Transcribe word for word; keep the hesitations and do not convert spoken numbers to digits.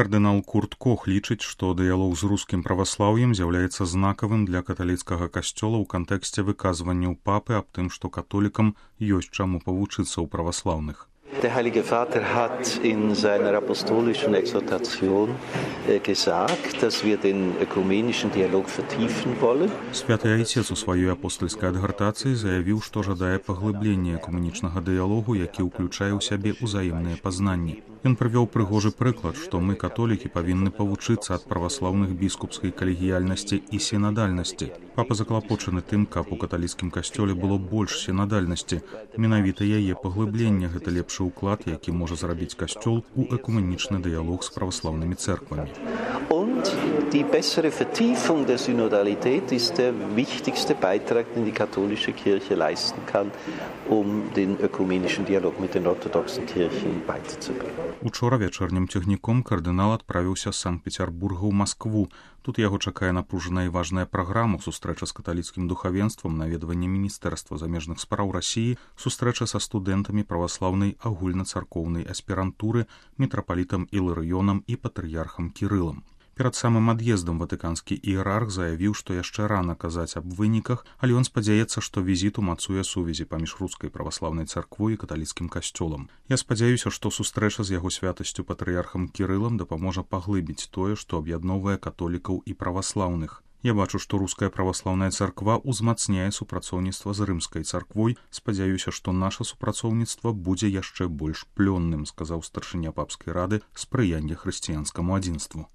Кардынал Курт Кох лічыць, што дыялог з рускім праваслаўем з'яўляецца знакавым для каталіцкага касцёла ў кантэксце выказванняў папы аб тым, што католікам ёсць чаму павучыцца ў праваслаўных. Der Heilige Vater hat in seiner apostolischen Exhortation gesagt, dass wir den ökumenischen Dialog vertiefen wollen. Святы Айцец у сваёй апостольскай адгартацыі заявіў, што жадае паглыблення экуменічнага дыялогу, які ўключае ў сябе ўзаемныя пазнанні. Ён прывёў прыгожы прыклад, што мы, католікі, павінны павучыцца ад праваслаўных біскупскай калегіяльнасці і сінадальнасці. Папа заклапочаны тым, каб у каталіцкім касцёле было больш сінадальнасці. Менавіта яе паглыблення гэта лепшы уклад, які можа зрабіць касцёл у экуменічны дыялог з праваслаўнымі церквамі. Und die bessere Vertiefung der Synodalität ist der wichtigste Beitrag, den die katholische Kirche leisten kann, um den ökumenischen Dialog mit den orthodoxen Kirchen weiterzubringen. Учора вячэрнім цягніком кардынал адправіўся з Санкт-Петербурга ў Маскву. Тут яго чакае напружаная і важная праграма, сустрэча з каталіцкім духавенствам, наведванне міністэрства замежных спраў Расіі, сустрэча са студэнтамі праваслаўнай агульнацаркоўнай аспірантуры, мітрапалітам Іларыёнам і патрыярхам Кірылам. Перад самым ад'ездам ватыканскі іерарх заявіў, што яшчэ рана казаць аб выніках, але ён спадзяецца, што візіт умацуе сувязі паміж рускай праваслаўнай царквой і каталіцкім касцёлам. Я спадзяюся, што сустрэча з яго святасцю патрыярхам Кірылам дапаможа паглыбіць тое, што аб'ядноўвае католікаў і праваслаўных. Я бачу, што руская праваслаўная царква ўзмацняе супрацоўніцтва з рымскай царквой. Спадзяюся, што наша супрацоўніцтва будзе яшчэ больш плённым, сказаў старшыня папскай рады спрыяння хрысціянскаму адзінству.